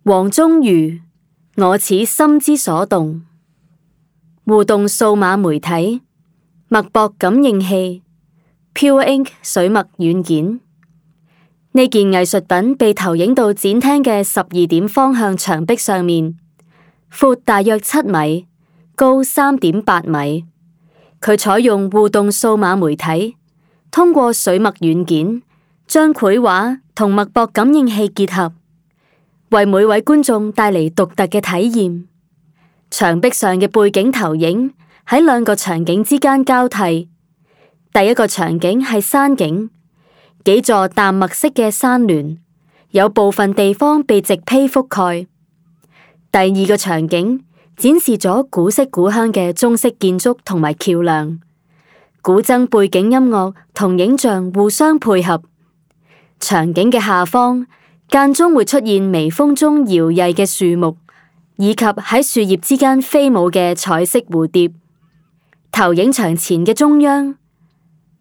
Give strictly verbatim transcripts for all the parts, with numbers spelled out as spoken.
黃宗儒，我此心之所動。互動數碼媒體，脈搏感應器 Pure Ink 水墨軟件。呢件藝術品被投影到展廳嘅十二點方向牆壁上面，闊大約七米，高三點八米。佢採用互動數碼媒體，通過水墨軟件將繪畫同脈搏感應器結合，為每位觀眾帶嚟獨特嘅體驗。牆壁上嘅背景投影喺兩個場景之間交替。第一個場景係山景，幾座淡墨色嘅山巒，有部分地方被植被覆蓋。第二個場景展示咗古色古香嘅中式建築同埋橋樑，古箏背景音樂同影像互相配合。場景嘅下方間中會出現微風中搖曳嘅樹木，以及喺樹葉之間飛舞嘅彩色蝴蝶。投影牆前嘅中央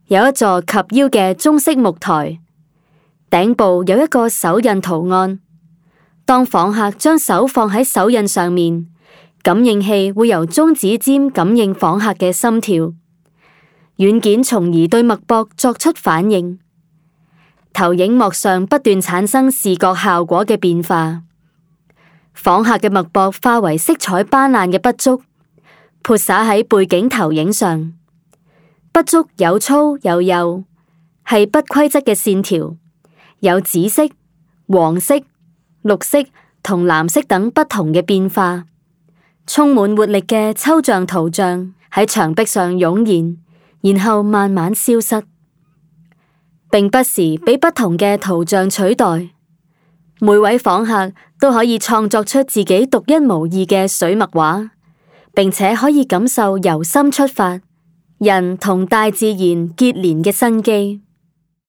有一座及腰嘅中式木台，頂部有一個手印圖案。當訪客將手放喺手印上面，感應器會由中指尖感應訪客嘅心跳，軟件從而對脈搏作出反應。投影幕上不斷產生視覺效果嘅變化，訪客嘅脈搏化為色彩斑斕嘅筆觸，潑灑喺背景投影上。筆觸有粗有幼，係不規則嘅線條，有紫色、黃色、綠色同藍色等不同嘅變化。充滿活力嘅抽象圖像喺牆壁上湧現，然後慢慢消失，並不時俾不同嘅圖像取代。每位訪客都可以創作出自己獨一無二嘅水墨畫，並且可以感受由心出發，人同大自然結連嘅生機。